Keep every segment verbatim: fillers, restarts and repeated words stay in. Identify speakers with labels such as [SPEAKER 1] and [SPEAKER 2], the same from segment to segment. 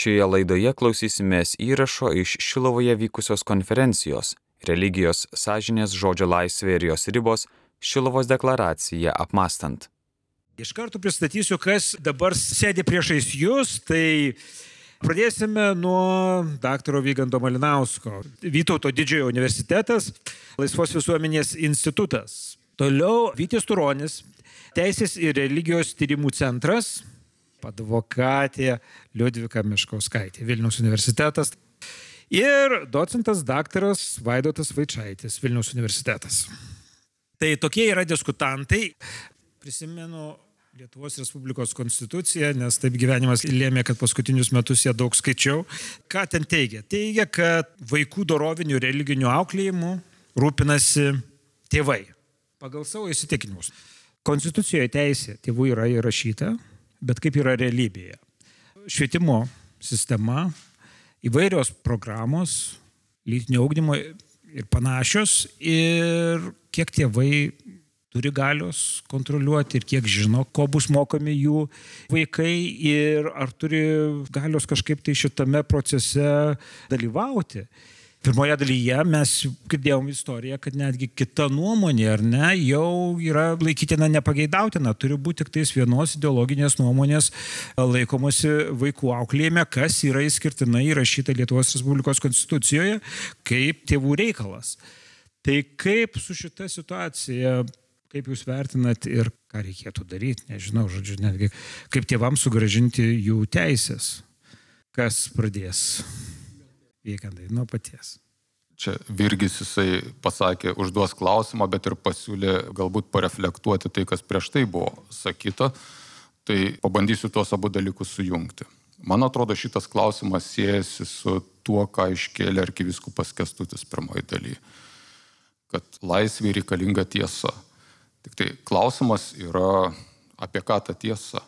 [SPEAKER 1] Šioje laidoje klausysimės įrašo iš Šilovoje vykusios konferencijos Religijos, sąžinės, žodžio laisvė ir jos ribos – Šiluvos deklaracija apmąstant.
[SPEAKER 2] Iš karto pristatysiu, kas dabar sėdi priešais jūs, tai pradėsime nuo daktaro Vygando Malinausko. Vytauto didžiojo universitetas, Laisvos visuomenės institutas. Toliau Vytis Turonis, Teisės ir religijos tyrimų centras, advokatė Liudvika Meškauskaitė, Vilniaus universitetas. Ir docentas daktaras Vaidotas Vaičaitis, Vilniaus universitetas. Tai tokie yra diskutantai. Prisimenu Lietuvos Respublikos konstituciją, nes taip gyvenimas lėmė, kad paskutinius metus ją daug skaičiau. Ką ten teigia? Teigia, kad vaikų dorovinių religinių auklėjimų rūpinasi tėvai pagal savo įsitikinimus. Konstitucijoje teisė tėvų yra įrašyta, bet kaip yra realybėje? Švietimo sistema, įvairios programos, lytinio ugdymo ir panašios, ir kiek tėvai turi galios kontroliuoti ir kiek žino, ko bus mokomi jų vaikai ir ar turi galios kažkaip tai šitame procese dalyvauti. Pirmoje dalyje mes girdėjom istoriją, kad netgi kita nuomonė, ar ne, jau yra laikytina nepageidautina. Turi būti tik tais vienos ideologinės nuomonės laikomasi vaikų auklėjime, kas yra išskirtinai įrašyta Lietuvos Respublikos konstitucijoje kaip tėvų reikalas. Tai kaip su šita situacija, kaip jūs vertinat ir ką reikėtų daryti, nežinau, žodžiu, netgi kaip tėvams sugrąžinti jų teisės. Kas pradės? Vygandai, nuo paties.
[SPEAKER 3] Čia Virgis jisai pasakė, užduos klausimą, bet ir pasiūlė galbūt pareflektuoti tai, kas prieš tai buvo sakyta. Tai pabandysiu tuos abu dalykus sujungti. Man atrodo, šitas klausimas siejasi su tuo, ką iškėlė arkivyskupas Kęstutis pirmoji daly. Kad laisvė reikalinga tiesa. Tik tai klausimas yra apie ką ta tiesa.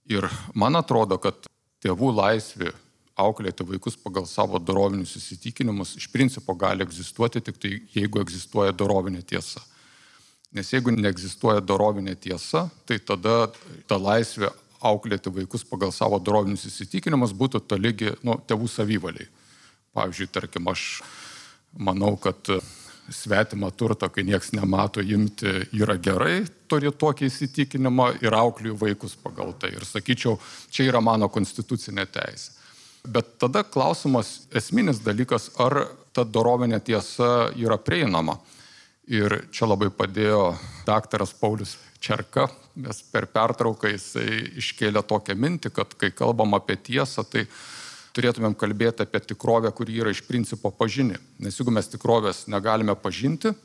[SPEAKER 3] Ir man atrodo, kad tėvų laisvė auklėti vaikus pagal savo dorovinius įsitikinimus iš principo gali egzistuoti tik tai, jeigu egzistuoja dorovinė tiesa. Nes jeigu neegzistuoja dorovinė tiesa, tai tada ta laisvė auklėti vaikus pagal savo dorovinius įsitikinimus būtų tolygi nu, tėvų savivaliai. Pavyzdžiui, tarkim, aš manau, kad svetimą turtą, kai nieks nemato imti, yra gerai, turi tokį įsitikinimą ir aukliju vaikus pagal tai. Ir sakyčiau, čia yra mano konstitucinė teisė. Bet tada klausimas, esminis dalykas, ar ta dorovinė tiesa yra prieinama. Ir čia labai padėjo daktaras Paulius Čerka, nes per pertrauką jisai iškėlė tokią mintį, kad kai kalbam apie tiesą, tai turėtumėm kalbėti apie tikrovę, kuri yra iš principo pažini. Nes jeigu mes tikrovės negalime pažinti,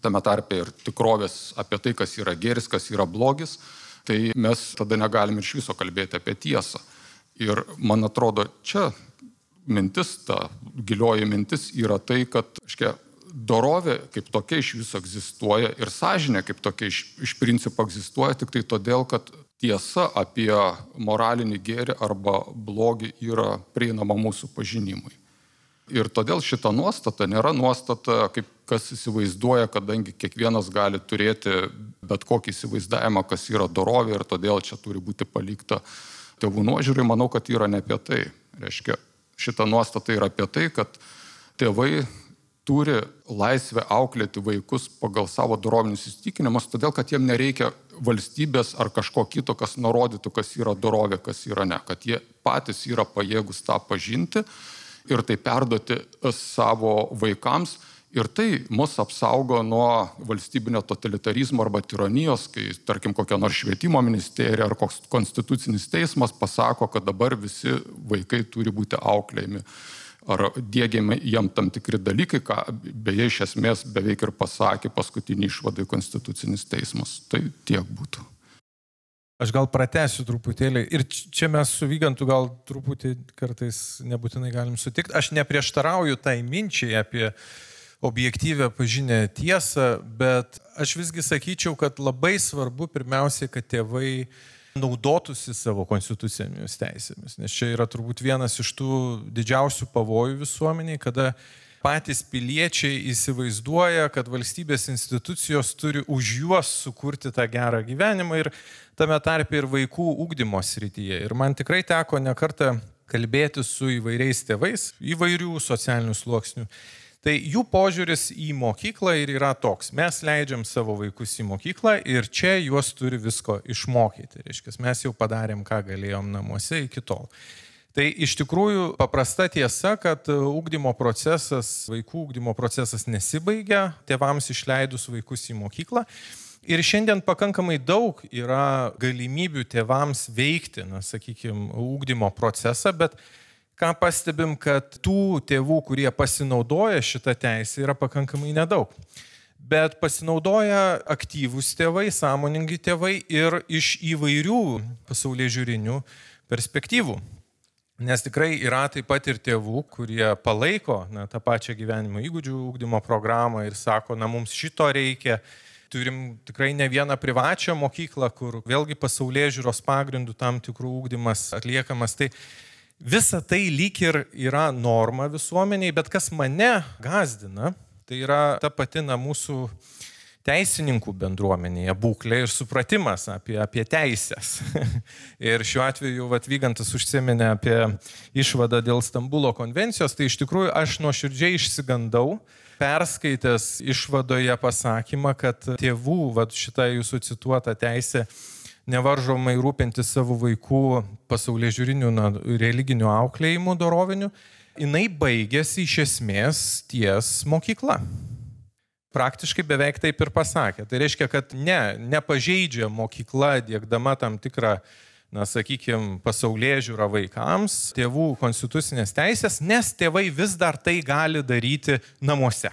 [SPEAKER 3] tame tarpe ir tikrovės apie tai, kas yra gėris, kas yra blogis, tai mes tada negalime iš viso kalbėti apie tiesą. Ir man atrodo, čia mintis, ta gilioji mintis yra tai, kad škia, dorovė kaip tokia iš viso egzistuoja ir sąžinė kaip tokia iš, iš principo egzistuoja tik tai todėl, kad tiesa apie moralinį gėrį arba blogį yra prieinama mūsų pažinimui. Ir todėl šita nuostata nėra nuostata, kaip kas įsivaizduoja, kadangi kiekvienas gali turėti bet kokį įsivaizdavimą, kas yra dorovė ir todėl čia turi būti palikta tėvų nuožiūrai. Manau, kad yra ne apie tai. Reiškia, šita nuostata yra apie tai, kad tėvai turi laisvę auklėti vaikus pagal savo dorovinius įsitikinimus, todėl, kad jiem nereikia valstybės ar kažko kito, kas nurodytų, kas yra dorovė, kas yra ne. Kad jie patys yra pajėgus tą pažinti ir tai perduoti savo vaikams. Ir tai mus apsaugo nuo valstybinio totalitarizmo arba tironijos, kai, tarkim, kokia nors švietimo ministerija ar koks konstitucinis teismas pasako, kad dabar visi vaikai turi būti auklėjami ar diegiami jam tam tikri dalykai, ką beje iš esmės beveik ir pasakė paskutinį išvadai konstitucinis teismas. Tai tiek būtų.
[SPEAKER 4] Aš gal pratęsiu truputėlį ir čia mes su Vygantu gal truputį kartais nebūtinai galim sutikti. Aš neprieštarauju tai minčiai apie objektyvę pažinę tiesą, bet aš visgi sakyčiau, kad labai svarbu pirmiausiai, kad tėvai naudotųsi savo konstitucinėmis teisėmis, nes čia yra turbūt vienas iš tų didžiausių pavojų visuomeniai, kada patys piliečiai įsivaizduoja, kad valstybės institucijos turi už juos sukurti tą gerą gyvenimą ir tame tarpe ir vaikų ugdymo srityje. Ir man tikrai teko ne kartą kalbėti su įvairiais tėvais, įvairių socialinių sluoksnių. Tai jų požiūris į mokyklą ir yra toks. Mes leidžiam savo vaikus į mokyklą ir čia juos turi visko išmokyti. Reiškia, mes jau padarėm, ką galėjom namuose iki tol. Tai iš tikrųjų paprasta tiesa, kad ugdymo procesas, vaikų ugdymo procesas nesibaigia, tėvams išleidus vaikus į mokyklą. Ir šiandien pakankamai daug yra galimybių tėvams veikti, na, sakykime, ugdymo procesą, bet ką pastebim, kad tų tėvų, kurie pasinaudoja šitą teisę, yra pakankamai nedaug. Bet pasinaudoja aktyvūs tėvai, sąmoningi tėvai ir iš įvairių pasaulėžiūrinių perspektyvų. Nes tikrai yra taip pat ir tėvų, kurie palaiko na, tą pačią gyvenimo įgūdžių ugdymo programą ir sako, na mums šito reikia. Turim tikrai ne vieną privačią mokyklą, kur vėlgi pasaulėžiūros pagrindų tam tikrų ugdymas atliekamas. Tai visa tai lyg ir yra norma visuomeniai, bet kas mane gazdina, tai yra ta pati na, mūsų teisininkų bendruomenėje būklė ir supratimas apie, apie teisės. Ir šiuo atveju vat, Vygantas užsiminė apie išvadą dėl Stambulo konvencijos, tai iš tikrųjų aš nuoširdžiai išsigandau, perskaitęs išvadoje pasakymą, kad tėvų vat, šitą jūsų cituotą teisę nevaržomai rūpinti savo vaikų pasaulėžiūrinių na, religinių auklėjimų dorovinių, jinai baigėsi iš esmės ties mokykla. Praktiškai beveik taip ir pasakė. Tai reiškia, kad ne, nepažeidžia mokykla diegdama tam tikrą, na, sakykime, pasaulėžiūrą vaikams, tėvų konstitucinės teisės, nes tėvai vis dar tai gali daryti namuose.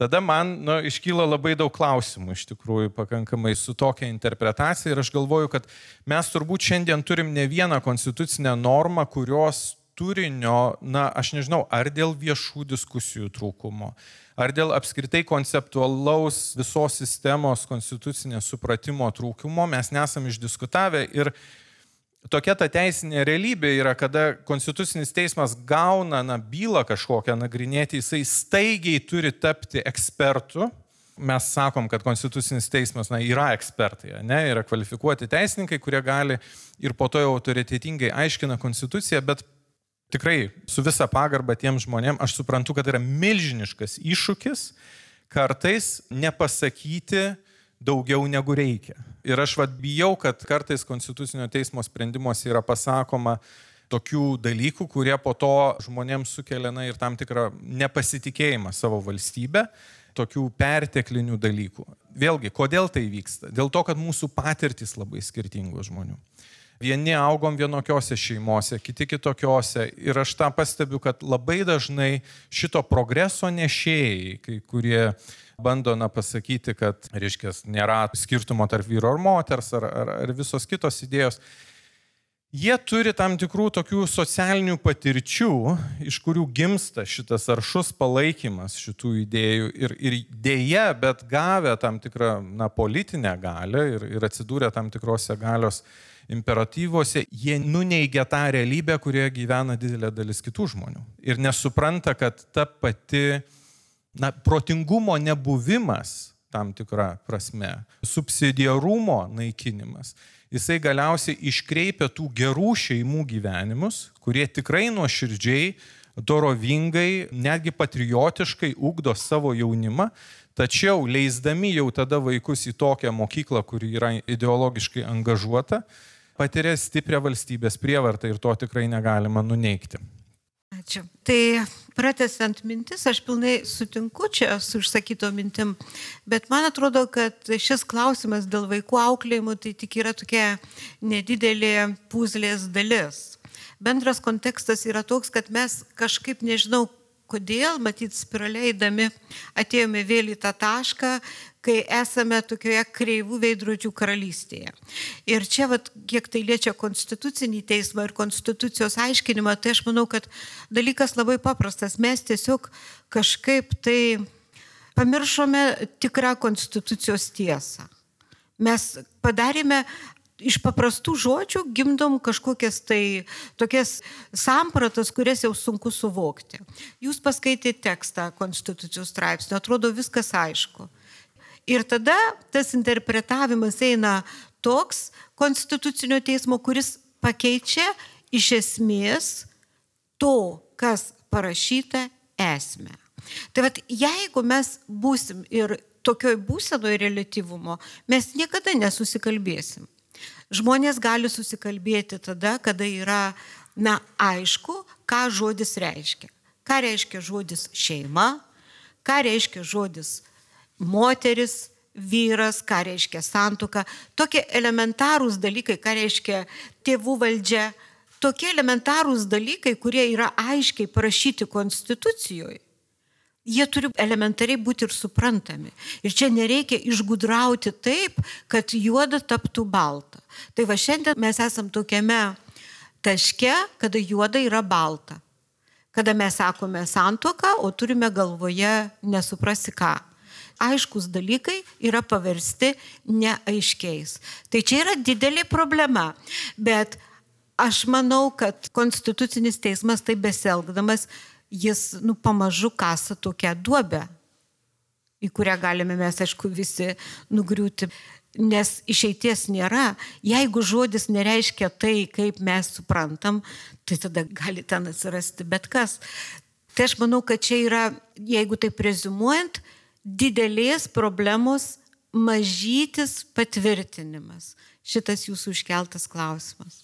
[SPEAKER 4] Tada man nu, iškyla labai daug klausimų iš tikrųjų pakankamai su tokia interpretacija ir aš galvoju, kad mes turbūt šiandien turim ne vieną konstitucinę normą, kurios turinio, na, aš nežinau, ar dėl viešų diskusijų trūkumo, ar dėl apskritai konceptualaus visos sistemos konstitucinės supratimo trūkumo mes nesam išdiskutavę ir tokia ta teisinė realybė yra, kada konstitucinis teismas gauna na, bylą kažkokią nagrinėti, jisai staigiai turi tapti ekspertu. Mes sakom, kad konstitucinis teismas na, yra ekspertai, ne, yra kvalifikuoti teisininkai, kurie gali ir po to jau autoritetingai aiškina konstituciją, bet tikrai su visa pagarba tiem žmonėm aš suprantu, kad yra milžiniškas iššūkis kartais nepasakyti daugiau negu reikia. Ir aš vat bijau, kad kartais konstitucinio teismo sprendimuose yra pasakoma tokių dalykų, kurie po to žmonėms sukelia na, ir tam tikrą nepasitikėjimą savo valstybę, tokių perteklinių dalykų. Vėlgi, kodėl tai vyksta? Dėl to, kad mūsų patirtys labai skirtingų žmonių. Vieni augom vienokiose šeimose, kiti kitokiose. Ir aš tą pastebiu, kad labai dažnai šito progreso nešėjai, kai kurie bando na, pasakyti, kad reiškia, nėra skirtumo tarp vyro ar moters ar, ar, ar visos kitos idėjos. Jie turi tam tikrų tokių socialinių patirčių, iš kurių gimsta šitas aršus palaikymas šitų idėjų ir, ir dėja, bet gavę tam tikrą na, politinę galią ir, ir atsidūrę tam tikrose galios imperatyvuose, jie nuneigia tą realybę, kurioje gyvena didelė dalis kitų žmonių. Ir nesupranta, kad ta pati na, protingumo nebuvimas tam tikrą prasme, subsidiarumo naikinimas, jisai galiausiai iškreipia tų gerų šeimų gyvenimus, kurie tikrai nuoširdžiai, dorovingai, netgi patriotiškai ugdo savo jaunimą, tačiau leisdami jau tada vaikus į tokią mokyklą, kuri yra ideologiškai angažuota, patiria stiprią valstybės prievartą ir to tikrai negalima nuneigti.
[SPEAKER 5] Ačiū. Tai pratęsiant mintis, aš pilnai sutinku čia su išsakyto mintim, bet man atrodo, kad šis klausimas dėl vaikų auklėjimų tai tik yra tokia nedidelė puzlės dalis. Bendras kontekstas yra toks, kad mes kažkaip nežinau, kodėl, matyt, spiraliai eidami atėjome vėl į tą tašką, kai esame tokioje kreivų veidrodžių karalystėje. Ir čia, vat, kiek tai liečia konstitucinį teismą ir konstitucijos aiškinimą, tai aš manau, kad dalykas labai paprastas. Mes tiesiog kažkaip tai pamiršome tikrą konstitucijos tiesą. Mes padarėme iš paprastų žodžių gimdom kažkokias tai tokias sampratas, kurias jau sunku suvokti. Jūs paskaitėte tekstą konstitucijos straipsnio, atrodo viskas aišku. Ir tada tas interpretavimas eina toks konstitucinio teismo, kuris pakeičia iš esmės to, kas parašyta, esmę. Tai vat, jeigu mes būsim ir tokioj būsenoje reliatyvumo, mes niekada nesusikalbėsim. Žmonės gali susikalbėti tada, kada yra, na, aišku, ką žodis reiškia. Ką reiškia žodis šeima, ką reiškia žodis moteris, vyras, ką reiškia santuoka. Tokie elementarūs dalykai, ką reiškia tėvų valdžia. Tokie elementarūs dalykai, kurie yra aiškiai parašyti konstitucijoje. Jie turi elementariai būti ir suprantami. Ir čia nereikia išgudrauti taip, kad juoda taptų balta. Tai va šiandien mes esam tokiame taške, kada juoda yra balta. Kada mes sakome santuoką, o turime galvoje nesuprasi ką. Aiškus dalykai yra paversti neaiškiais. Tai čia yra didelė problema. Bet aš manau, kad Konstitucinis teismas taip besielgdamas, jis, nu, pamažu kasa tokią duobę, į kurią galime mes, aišku, visi nugriūti, nes išeities nėra. Jeigu žodis nereiškia tai, kaip mes suprantam, tai tada gali ten atsirasti bet kas. Tai aš manau, kad čia yra, jeigu taip reziumuojant, didelės problemos mažytis patvirtinimas. Šitas jūsų iškeltas klausimas.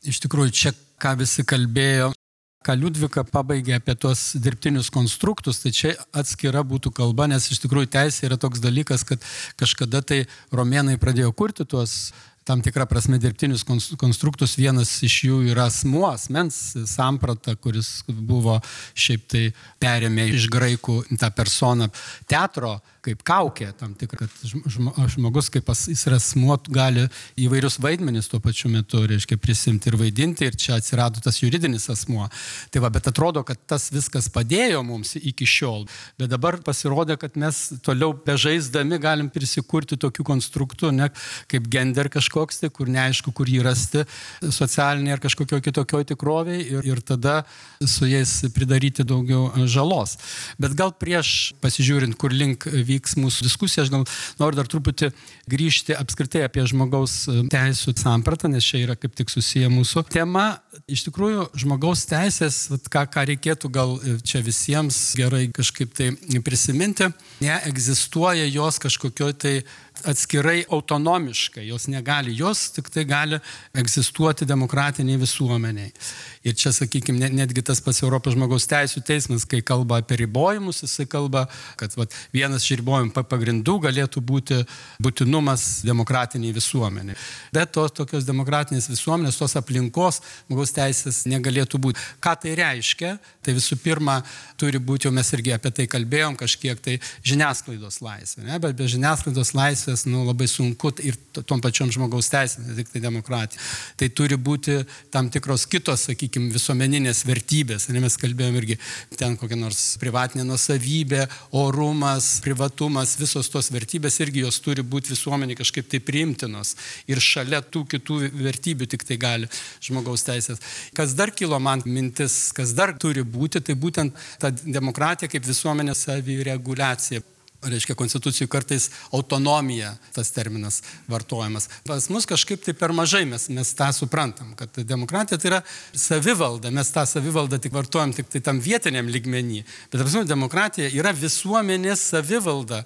[SPEAKER 6] Iš tikrųjų, čia ką visi kalbėjo, ką Liudvika pabaigė apie tuos dirbtinius konstruktus, tai čia atskira būtų kalba, nes iš tikrųjų teisė yra toks dalykas, kad kažkada tai romėnai pradėjo kurti tuos tam tikrą prasme dirbtinius konstruktus. Vienas iš jų yra asmuo, asmens samprata, kuris buvo šiaip tai perėmė iš graikų tą personą teatro kaip kaukė, tam tikrą, kad žmogus kaip jis yra asmuo gali įvairius vaidmenis tuo pačiu metu, reiškia, prisimti ir vaidinti, ir čia atsirado tas juridinis asmuo. Tai va, bet atrodo, kad tas viskas padėjo mums iki šiol, bet dabar pasirodė, kad mes toliau bežaisdami galim prisikurti tokių konstruktų, ne, kaip gender kažkoks, tai kur neaišku, kur jį rasti socialinėje ar kažkokio kitokio tikrovėje, ir, ir tada su jais pridaryti daugiau žalos. Bet gal prieš pasižiūrint, kur link vyks mūsų diskusija, aš gal noriu dar truputį grįžti apskritai apie žmogaus teisų sampratą, nes čia yra kaip tik susiję mūsų tema. Iš tikrųjų, žmogaus teisės, ką, ką reikėtų gal čia visiems gerai kažkaip tai prisiminti, neegzistuoja jos kažkokioj tai atskirai autonomiškai, jos negali, jos tik tai gali egzistuoti demokratiniai visuomeniai. Ir čia, sakykime, netgi tas pats Europos žmogaus teisų teismas, kai kalba apie ribojimus, jisai kalba, kad vat, vienas iš ribojimų pagrindų galėtų būti būtinumas demokratiniai visuomeniai. Bet tos tokios demokratinės visuomenės, tos aplinkos žmogaus teisės negalėtų būti. Ką tai reiškia? Tai visų pirma, turi būti, jau mes irgi apie tai kalbėjom, kažkiek tai žiniasklaidos laisvė, ne? Bet be žiniasklaidos laisvės, nu, labai sunku ir tom pačiom žmogaus teisėm, ne tik tai demokratija. Tai turi būti tam tikros kitos, sakykime, visuomeninės vertybės. Ir mes kalbėjom irgi ten kokia nors privatinė nuosavybė, orumas, privatumas, visos tos vertybės irgi jos turi būti visuomenė kažkaip tai priimtinos. Ir šalia tų kitų vertybių tik tai gali žmogaus teisės. Kas dar kilo man mintis, kas dar turi būti, tai būtent ta demokratija kaip visuomenės savireguliacija. Reiškia, konstitucijų kartais autonomija, tas terminas vartojamas. Pas mus kažkaip tai per mažai mes, mes tą suprantam, kad demokratija tai yra savivalda, mes tą savivaldą tik vartojam tik tai tam vietiniam lygmenį. Bet pas mus demokratija yra visuomenės savivalda.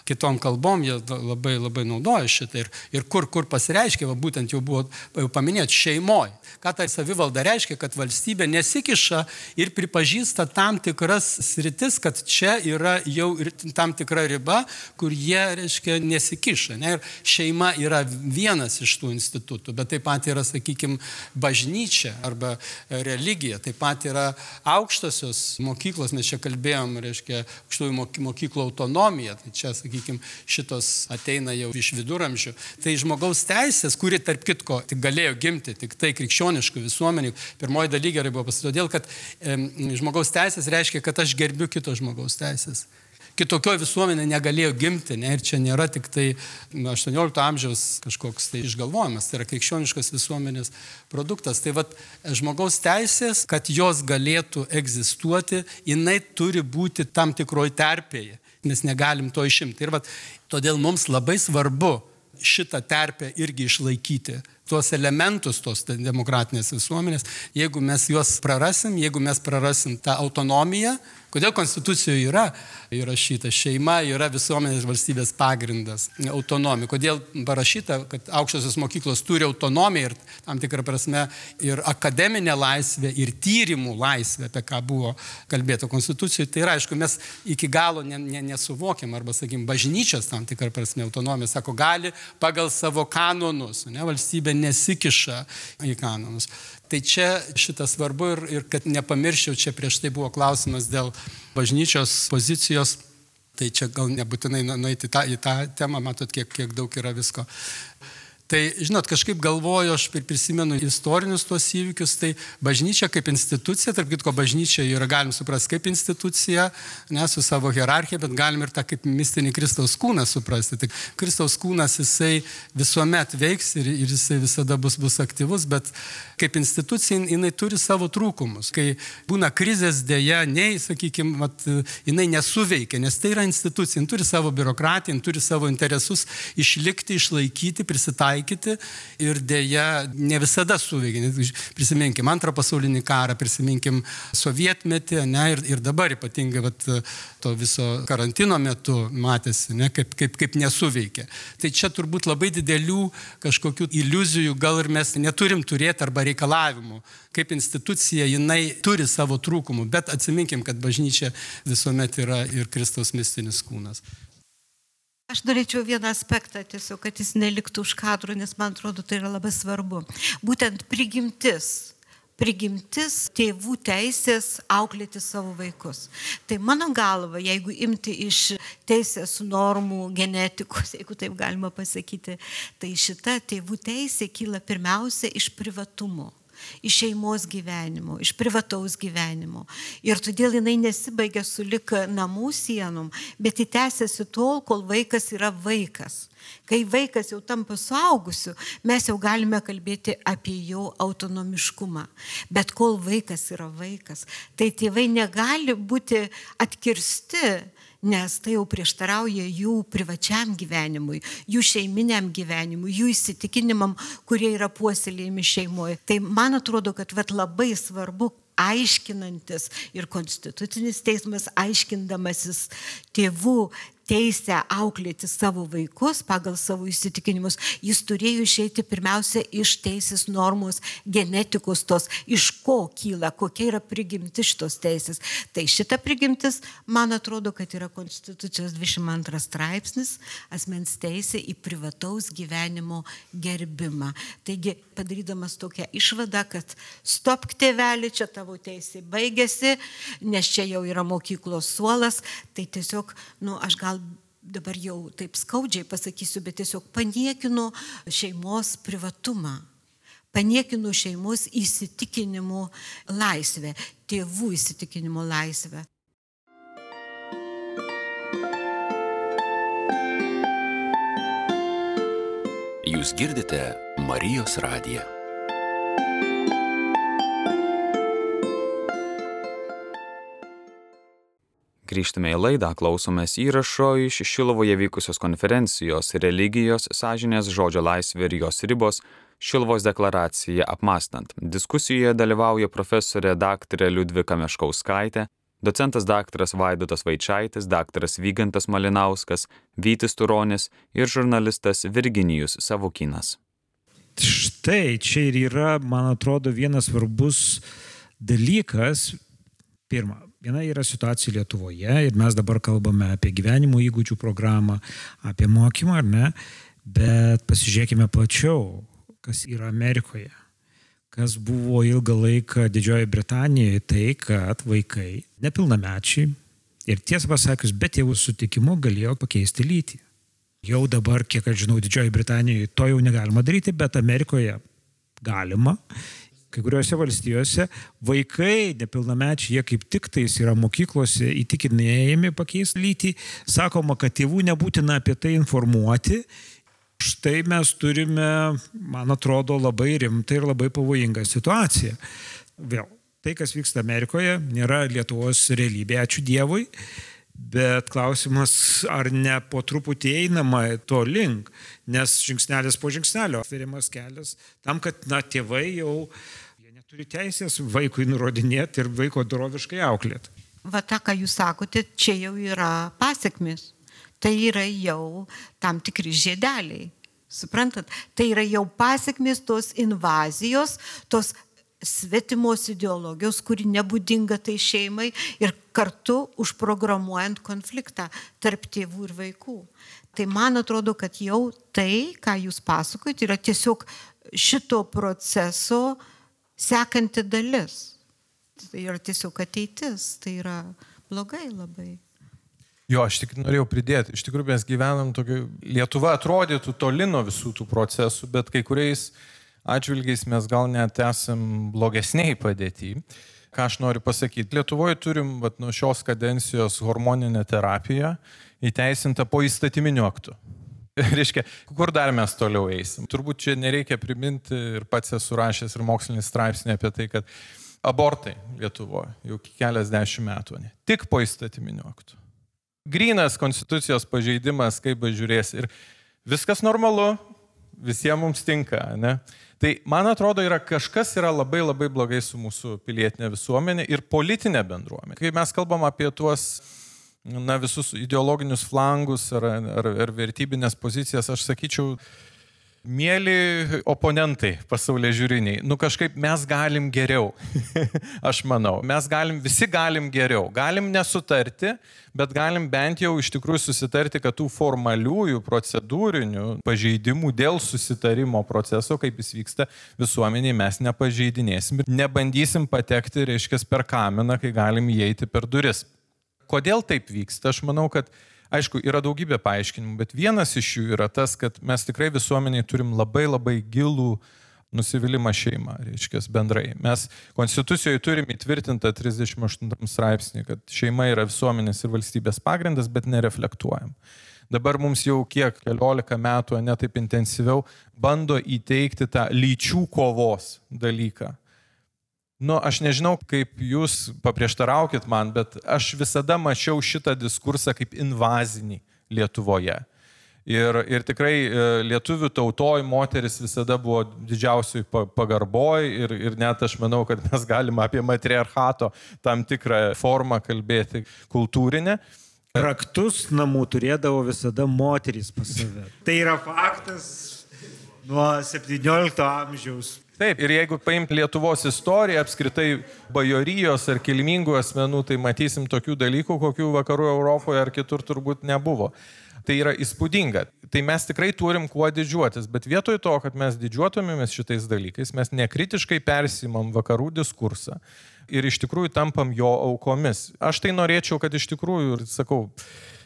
[SPEAKER 6] Kitom kalbom jie labai, labai naudoja šitą. Ir, ir kur, kur pasireiškia, va, būtent jau buvo jau paminėti, šeimoje. Ką tai savivalda reiškia, kad valstybė nesikiša ir pripažįsta tam tikras sritis, kad čia yra jau ir tam tikra riba, kur jie, reiškia, nesikiša. Ne? Ir šeima yra vienas iš tų institutų, bet taip pat yra, sakykime, bažnyčia arba religija, taip pat yra aukštosios mokyklos, mes čia kalbėjom, reiškia, aukštųjų mokyklų autonomija, tai čia, sakykime, šitos ateina jau iš viduramžių. Tai žmogaus teisės, kuri, tarp kitko, tik galėjo gimti, tik tai krikščioniškų visuomenių, pirmoji daly gerai buvo pasakyti, todėl, kad e, žmogaus teisės reiškia, kad aš gerbiu kito žmogaus teisės. Kitokio visuomenė negalėjo gimti, ne, ir čia nėra tik tai aštuoniolikto amžiaus kažkoks tai išgalvojimas, tai yra krikščioniškas visuomenės produktas. Tai vat, žmogaus teisės, kad jos galėtų egzistuoti, jinai turi būti tam tikroj terpėje, nes negalim to išimti. Ir vat, todėl mums labai svarbu šitą terpę irgi išlaikyti. tuos elementus tos demokratinės visuomenės, jeigu mes juos prarasim, jeigu mes prarasim tą autonomiją. Kodėl Konstitucijoje yra įrašyta šeima, yra visuomenės valstybės pagrindas, autonomija. Kodėl parašyta, kad aukštosios mokyklos turi autonomiją ir tam tikrą prasme ir akademinė laisvė, ir tyrimų laisvė, apie ką buvo kalbėta Konstitucijoje. Tai yra, aišku, mes iki galo ne, ne, nesuvokiam, arba, sakykim, bažnyčios tam tikrą prasme autonomija, sako, gali pagal savo kanonus, ne, valstybė nesikiša į kanonus. Tai čia šitas svarbu ir, ir kad nepamirščiau, čia prieš tai buvo klausimas dėl bažnyčios pozicijos, tai čia gal nebūtinai nueiti tą, į tą temą, matot, kiek, kiek daug yra visko. Tai, žinot, kažkaip galvoju, aš prisimenu istorinius tuos įvykius, tai bažnyčia kaip institucija, tarp kitko bažnyčia yra, galim suprasti, kaip institucija, ne, su savo hierarchija, bet galim ir tą kaip mistinį Kristaus kūną suprasti. Tai Kristaus kūnas, jisai visuomet veiks ir, ir jisai visada bus, bus aktyvus, bet kaip institucija jinai turi savo trūkumus. Kai būna krizės dėja, nei, sakykime, vat, jinai nesuveikia, nes tai yra institucija, jinai turi savo biurokratiją, jinai turi savo interesus išlikti, išlaikyti, prisitaikyti. Ir dėja ne visada suveikia. Prisiminkim antrą pasaulinį karą, prisiminkim sovietmetį, ne, ir, ir dabar ypatingai vat, to viso karantino metu matėsi, ne, kaip, kaip, kaip nesuveikia. Tai čia turbūt labai didelių kažkokių iliuzijų gal ir mes neturim turėti arba reikalavimų. Kaip institucija jinai turi savo trūkumų, bet atsiminkim, kad bažnyčia visuomet yra ir Kristaus mistinis kūnas.
[SPEAKER 5] Aš norėčiau vieną aspektą tiesiog, kad jis neliktų už kadrų, nes man atrodo, tai yra labai svarbu. Būtent prigimtis. Prigimtis tėvų teisės auklėti savo vaikus. Tai mano galva, jeigu imti iš teisės normų, genetikos, jeigu taip galima pasakyti, tai šita tėvų teisė kyla pirmiausia iš privatumo. Iš šeimos gyvenimo, iš privataus gyvenimo. Ir todėl jinai nesibaigia su lik namų sienom, bet įtęsiasi tol, kol vaikas yra vaikas. Kai vaikas jau tampa suaugusiu, mes jau galime kalbėti apie jo autonomiškumą. Bet kol vaikas yra vaikas, tai tėvai negali būti atkirsti, nes tai jau prieštarauja jų privačiam gyvenimui, jų šeiminiam gyvenimui, jų įsitikinimam, kurie yra puoselėjami šeimoje. Tai man atrodo, kad vat, labai svarbu aiškinantis ir Konstitucinis teismas aiškindamasis tėvų teisę auklėti savo vaikus pagal savo įsitikinimus, jis turėjo išeiti pirmiausia iš teisės normos, genetikos tos, iš ko kyla, kokia yra prigimtis šitos teisės. Tai šita prigimtis, man atrodo, kad yra Konstitucijos dvidešimt antras straipsnis, asmens teisė į privataus gyvenimo gerbimą. Taigi, padarydamas tokią išvadą, kad stopk tėvelį, čia tavo teisė baigėsi, nes čia jau yra mokyklos suolas, tai tiesiog, nu, aš gal dabar jau taip skaudžiai pasakysiu, bet tiesiog paniekinu šeimos privatumą, paniekinu šeimos įsitikinimų laisvę, tėvų įsitikinimų laisvę.
[SPEAKER 7] Jūs girdite Marijos radiją.
[SPEAKER 1] Grįžtame į laidą, klausomės įrašo iš Šilovoje vykusios konferencijos Religijos, sąžinės, žodžio laisvė ir jos ribos Šiluvos deklaraciją apmąstant. Diskusijoje dalyvauja profesorė daktarė Liudvika Meškauskaitė, docentas daktaras Vaidotas Vaičaitis, daktaras Vygantas Malinauskas, Vytis Turonis ir žurnalistas Virginijus Savukynas.
[SPEAKER 2] Štai čia ir yra, man atrodo, vienas svarbus dalykas. Pirma, viena yra situacija Lietuvoje ir mes dabar kalbame apie gyvenimo įgūdžių programą, apie mokymą, ar ne, bet pasižiūrėkime plačiau, kas yra Amerikoje, kas buvo ilgą laiką Didžiojoje Britanijoje, tai kad vaikai, nepilnamečiai ir tiesą pasakius, be tėvų sutikimo galėjo pakeisti lytį. Jau dabar, kiek aš žinau, Didžiojoje Britanijoje to jau negalima daryti, bet Amerikoje galima. Kai kuriuose valstijose vaikai, nepilnamečiai, jie kaip tik tais yra mokyklose įtikinėjami pakeisti lytį. Sakoma, kad tėvų nebūtina apie tai informuoti. Štai mes turime, man atrodo, labai rimtą ir labai pavojingą situaciją. Vėl, tai, kas vyksta Amerikoje, nėra Lietuvos realybė, ačiū Dievui, Bet klausimas, ar ne po truputį einama to link, nes žingsnelis po žingsnelio atveriamas kelias tam, kad na, tėvai jau jie neturi teisės vaikui nurodinėti ir vaiko doroviškai auklėti.
[SPEAKER 5] Va tą, ką jūs sakote, čia jau yra pasiekmės. Tai yra jau tam tikri žiedeliai. Suprantat? Tai yra jau pasiekmės tos invazijos, tos svetimos ideologijos, kuri nebūdinga tai šeimai ir kartu užprogramuojant konfliktą tarp tėvų ir vaikų. Tai man atrodo, kad jau tai, ką jūs pasakojate, yra tiesiog šito proceso sekanti dalis. Tai yra tiesiog ateitis, tai yra blogai labai.
[SPEAKER 4] Jo, aš tik norėjau pridėti. Iš tikrųjų, mes gyvenam tokio... Lietuva atrodytų toli nuo visų tų procesų, bet kai kuriais atžvilgiais mes gal net esam blogesniai padėti. Ką aš noriu pasakyti? Lietuvoje turim vat, nuo šios kadencijos hormoninę terapiją įteisintą po įstatyminiu aktu. Reiškia, kur dar mes toliau eisim? Turbūt čia nereikia priminti ir pats esu rašęs ir mokslinį straipsnį apie tai, kad abortai Lietuvoje jau keliasdešimt metų, ne? Tik po įstatyminiu aktu. Grynas konstitucijos pažeidimas, kaip bežiūrės. Ir viskas normalu, visiems mums tinka, ne? Tai, man atrodo, yra kažkas yra labai labai blogai su mūsų pilietinė visuomenė ir politinė bendruomenė. Kai mes kalbam apie tuos, na, visus ideologinius flangus ar, ar, ar vertybinės pozicijas, aš sakyčiau, mėly oponentai pasaulyje žiūriniai, nu kažkaip mes galim geriau, aš manau, mes galim, visi galim geriau, galim nesutarti, bet galim bent jau iš tikrųjų susitarti, kad tų formaliųjų procedūrinių pažeidimų dėl susitarimo proceso, kaip jis vyksta visuomeniai, mes nepažeidinėsim ir nebandysim patekti, reiškia, per kaminą, kai galim įeiti per duris. Kodėl taip vyksta? Aš manau, kad aišku, yra daugybė paaiškinimų, bet vienas iš jų yra tas, kad mes tikrai visuomeniai turim labai labai gilų nusivylimą šeimą, reiškia, bendrai. Mes konstitucijoje turim įtvirtintą trisdešimt aštuntam straipsnį, kad šeima yra visuomenės ir valstybės pagrindas, bet nereflektuojam. Dabar mums jau kiek keliolika metų, ne taip intensyviau, bando įteikti tą lyčių kovos dalyką. Nu, aš nežinau, kaip jūs paprieštaraukit man, bet aš visada mačiau šitą diskursą kaip invazinį Lietuvoje. Ir, ir tikrai lietuvių tautoj moteris visada buvo didžiausiai pagarboj ir, ir net aš manau, kad mes galime apie matriarchato tam tikrą formą kalbėti kultūrinę.
[SPEAKER 2] Raktus namų turėdavo visada moterys pas save. Tai yra faktas nuo septyniolikto amžiaus.
[SPEAKER 4] Taip, ir jeigu paimti Lietuvos istoriją, apskritai bajorijos ar kilmingų asmenų, tai matysim tokių dalykų, kokių vakarų Europoje ar kitur turbūt nebuvo. Tai yra įspūdinga. Tai mes tikrai turim kuo didžiuotis, bet vietoj to, kad mes didžiuotumėmės šitais dalykais, mes nekritiškai persimam vakarų diskursą ir iš tikrųjų tampam jo aukomis. Aš tai norėčiau, kad iš tikrųjų, ir sakau,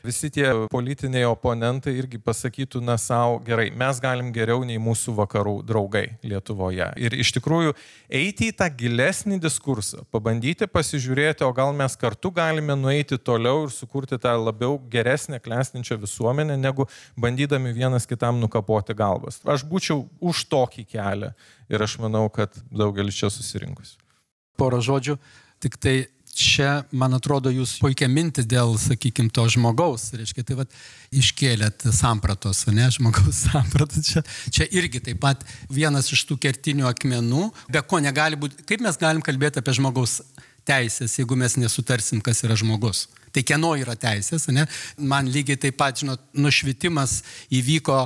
[SPEAKER 4] visi tie politiniai oponentai irgi pasakytų, na, savo, gerai, mes galim geriau nei mūsų vakarų draugai Lietuvoje. Ir iš tikrųjų eiti į tą gilesnį diskursą, pabandyti pasižiūrėti, o gal mes kartu galime nueiti toliau ir sukurti tą labiau geresnę, klestinčią visuomenę, negu bandydami vienas kitam nukapoti galvas. Aš būčiau už tokį kelią ir aš manau, kad daugelis čia susirinkus.
[SPEAKER 6] Porą žodžių, tik tai čia, man atrodo, jūs puikia mintį dėl, sakykime, to žmogaus, reiškia, tai vat iškėlėt sampratos, ne, žmogaus sampratos, čia, čia irgi taip pat vienas iš tų kertinių akmenų, be ko negali būti, kaip mes galim kalbėti apie žmogaus teisės, jeigu mes nesutarsim, kas yra žmogus. Tai kieno yra teisės, ne? Man lygiai taip pat, žinot, nušvitimas įvyko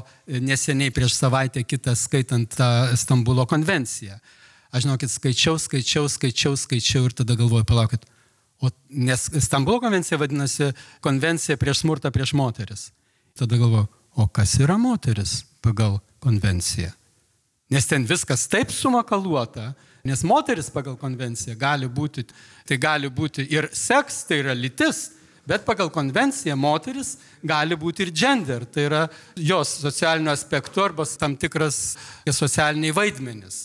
[SPEAKER 6] neseniai prieš savaitę kitą skaitant tą Stambulo konvenciją. Aš žinokit, skaičiau, skaičiau, skaičiau, skaičiau ir tada galvoju, palaukit. O, nes Stambulo konvencija vadinasi konvencija prieš smurtą prieš moteris. Tada galvoju, o kas yra moteris pagal konvenciją? Nes ten viskas taip sumakaluota, nes moteris pagal konvenciją gali būti, tai gali būti ir seks, tai yra lytis, bet pagal konvenciją moteris gali būti ir gender, tai yra jos socialinių aspektų arba tam tikras socialiniai vaidmenis.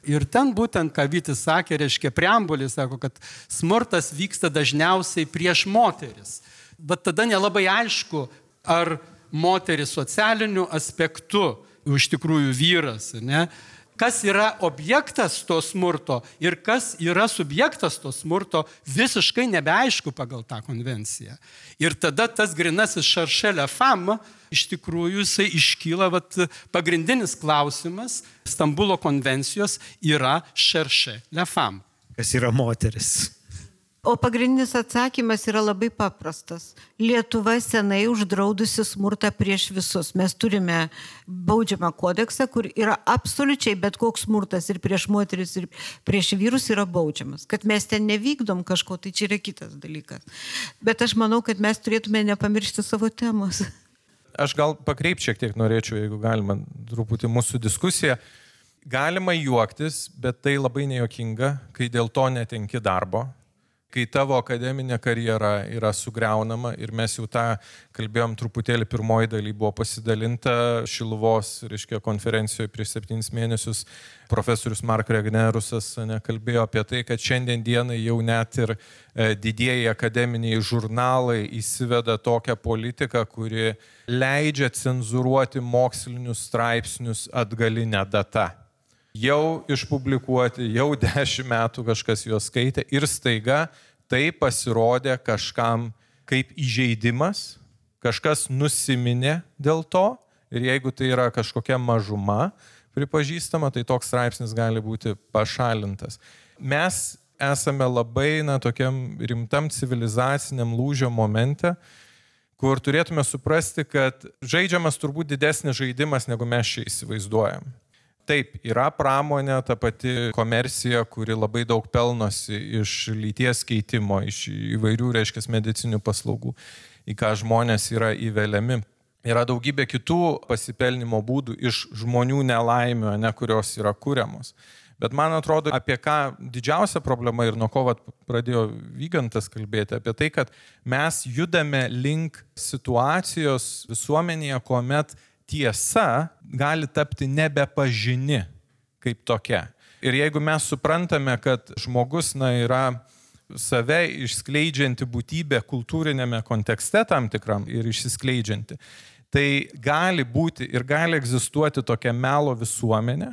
[SPEAKER 6] Ir ten būtent, ką Vytis sakė, reiškia preambulį, sako, kad smurtas vyksta dažniausiai prieš moteris. Bet tada nelabai aišku, ar moteris socialiniu aspektu iš tikrųjų vyras, ne? kas yra objektas to smurto ir kas yra subjektas to smurto, visiškai nebeaišku pagal tą konvenciją. Ir tada tas grinasis cherchez la femme, iš tikrųjų jisai iškyla, vat, pagrindinis klausimas Stambulo konvencijos yra cherchez la femme.
[SPEAKER 2] Kas yra moteris?
[SPEAKER 5] O pagrindinis atsakymas yra labai paprastas. Lietuva senai uždraudusi smurtą prieš visus. Mes turime baudžiamą kodeksą, kur yra absoliučiai bet koks smurtas ir prieš moteris, ir prieš vyrus yra baudžiamas. Kad mes ten nevykdom kažko, tai čia yra kitas dalykas. Bet aš manau, kad mes turėtume nepamiršti savo temos.
[SPEAKER 4] Aš gal pakreip šiek tiek norėčiau, jeigu galima, truputį mūsų diskusiją. Galima juoktis, bet tai labai nejuokinga, kai dėl to netenki darbo. Kai tavo akademinė karjera yra sugriaunama ir mes jau tą kalbėjom truputėlį pirmoji daly, buvo pasidalinta Šiluvos, reiškia, konferencijoje prieš septynis mėnesius profesorius Mark Regnerusas kalbėjo apie tai, kad šiandien dienai jau net ir didieji akademiniai žurnalai įsiveda tokią politiką, kuri leidžia cenzuruoti mokslinius straipsnius atgalinę datą. Jau išpublikuoti, jau dešimt metų kažkas juos skaitė ir staiga tai pasirodė kažkam kaip įžeidimas, kažkas nusiminė dėl to ir jeigu tai yra kažkokia mažuma pripažįstama, tai toks straipsnis gali būti pašalintas. Mes esame labai na, tokiam rimtam civilizaciniam lūžio momente, kur turėtume suprasti, kad žaidžiamas turbūt didesnis žaidimas, negu mes čia įsivaizduojam. Taip, yra pramonė, ta pati komercija, kuri labai daug pelnosi iš lyties keitimo, iš įvairių, reiškia, medicinių paslaugų, į ką žmonės yra įveliami. Yra daugybė kitų pasipelnimo būdų iš žmonių nelaimių, ne, kurios yra kuriamos. Bet man atrodo, apie ką didžiausia problema ir nuo ko vat, pradėjo Vygantas kalbėti, apie tai, kad mes judame link situacijos visuomenėje, kuomet tiesa gali tapti nebepažini kaip tokia. Ir jeigu mes suprantame, kad žmogus na, yra save išskleidžianti būtybė kultūrinėme kontekste tam tikram ir išsiskleidžianti, tai gali būti ir gali egzistuoti tokia melo visuomenė,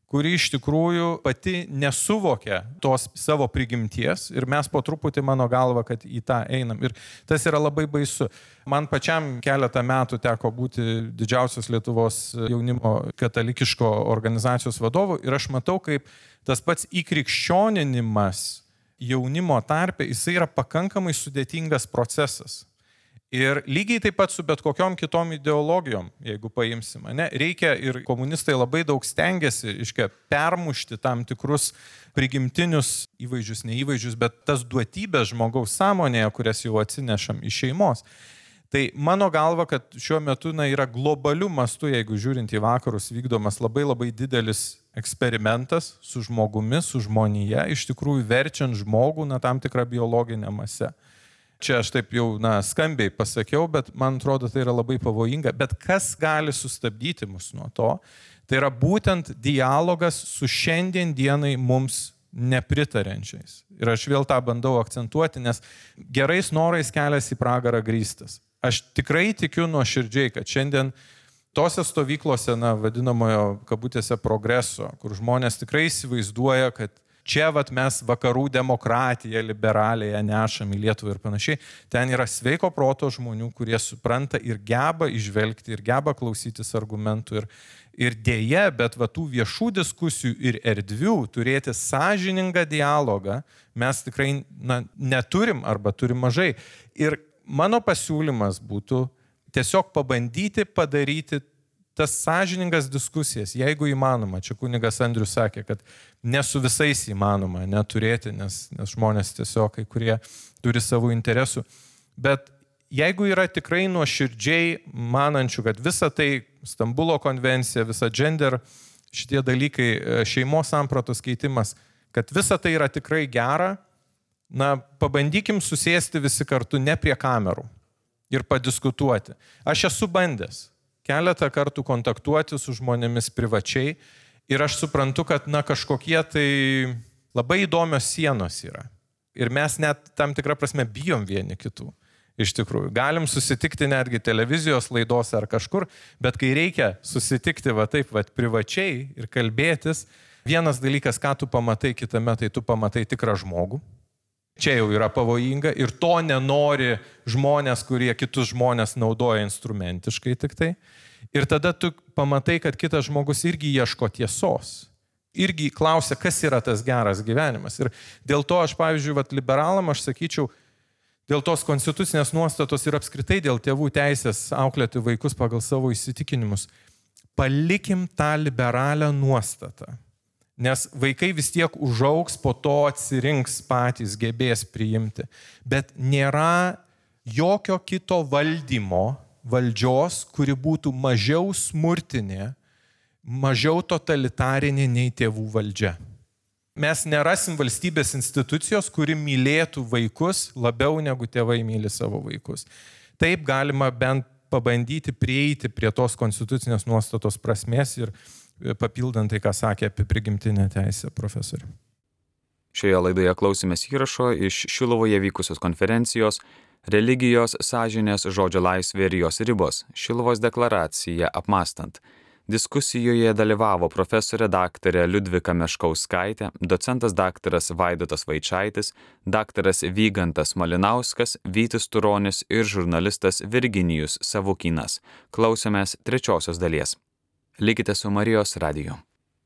[SPEAKER 4] kuri iš tikrųjų pati nesuvokia tos savo prigimties ir mes po truputį, mano galva, kad į tą einam. Ir tas yra labai baisu. Man pačiam keletą metų teko būti didžiausios Lietuvos jaunimo katalikiško organizacijos vadovu ir aš matau, kaip tas pats įkrikščioninimas jaunimo tarpe, jisai yra pakankamai sudėtingas procesas. Ir lygiai taip pat su bet kokiom kitom ideologijom, jeigu paimsim, ne, reikia ir komunistai labai daug stengiasi, iškia, permušti tam tikrus prigimtinius įvaizdžius, neįvaizdžius, bet tas duotybės žmogaus sąmonėje, kurias jau atsinešam iš šeimos. Tai mano galva, kad šiuo metu na, yra globaliu mastu, jeigu žiūrint į vakarus, vykdomas labai labai didelis eksperimentas su žmogumi, su žmonija, iš tikrųjų verčiant žmogų na, tam tikrą biologinę masę. Čia aš taip jau na, skambiai pasakiau, bet man atrodo, tai yra labai pavojinga. Bet kas gali sustabdyti mus nuo to? Tai yra būtent dialogas su šiandien dienai mums nepritarenčiais. Ir aš vėl tą bandau akcentuoti, nes gerais norais kelias į pragarą grįstas. Aš tikrai tikiu nuoširdžiai, kad šiandien tose stovyklose, na, vadinamojo kabutėse progreso, kur žmonės tikrai įsivaizduoja, kad čia vat mes vakarų demokratiją liberaliją nešam į Lietuvą ir panašiai. Ten yra sveiko proto žmonių, kurie supranta ir geba išvelgti, ir geba klausytis argumentų. Ir, ir dėja, bet va tų viešų diskusijų ir erdvių turėti sąžiningą dialogą mes tikrai na, neturim arba turim mažai. Ir mano pasiūlymas būtų tiesiog pabandyti padaryti tas sąžiningas diskusijas, jeigu įmanoma. Čia kunigas Andrius sakė, kad ne su visais įmanoma neturėti, nes, nes žmonės tiesiog kai kurie turi savo interesų. Bet jeigu yra tikrai nuoširdžiai manančių, kad visa tai Stambulo konvencija, visa gender, šitie dalykai, šeimos sampratos keitimas, kad visa tai yra tikrai gera, na, pabandykim susėsti visi kartu ne prie kamerų ir padiskutuoti. Aš esu bandęs keletą kartų kontaktuoti su žmonėmis privačiai ir aš suprantu, kad na, kažkokie tai labai įdomios sienos yra. Ir mes net tam tikrą prasme bijom vieni kitų. Iš tikrųjų, galim susitikti netgi televizijos laidose ar kažkur, bet kai reikia susitikti va taip, va privačiai ir kalbėtis, vienas dalykas, ką tu pamatai kitame, tai tu pamatai tikrą žmogų. Čia jau yra pavojinga ir to nenori žmonės, kurie kitus žmonės naudoja instrumentiškai tik tai. Ir tada tu pamatai, kad kitas žmogus irgi ieško tiesos. Irgi klausia, kas yra tas geras gyvenimas. Ir dėl to aš, pavyzdžiui, vat, liberalam, aš sakyčiau, dėl tos konstitucinės nuostatos ir apskritai dėl tėvų teisės auklėti vaikus pagal savo įsitikinimus, palikim tą liberalią nuostatą. Nes vaikai vis tiek užaugs, po to atsirinks patys, gebės priimti. Bet nėra jokio kito valdymo, valdžios, kuri būtų mažiau smurtinė, mažiau totalitarinė nei tėvų valdžia. Mes nerasim valstybės institucijos, kuri mylėtų vaikus labiau negu tėvai myli savo vaikus. Taip galima bent pabandyti prieiti prie tos konstitucinės nuostatos prasmės ir papildant tai, ką sakė apie prigimtinę teisę profesorių.
[SPEAKER 1] Šioje laidoje klausėmės įrašo iš Šiluvoje vykusios konferencijos Religijos, sąžinės, žodžio laisvė ir jos ribos – Šiluvos deklaracija apmąstant. Diskusijoje dalyvavo profesorė daktarė Liudvika Meškauskaitė, docentas daktaras Vaidotas Vaičaitis, daktaras Vygantas Malinauskas, Vytis Turonis ir žurnalistas Virginijus Savukynas. Klausėmės trečiosios dalies. Likite su Marijos radiju.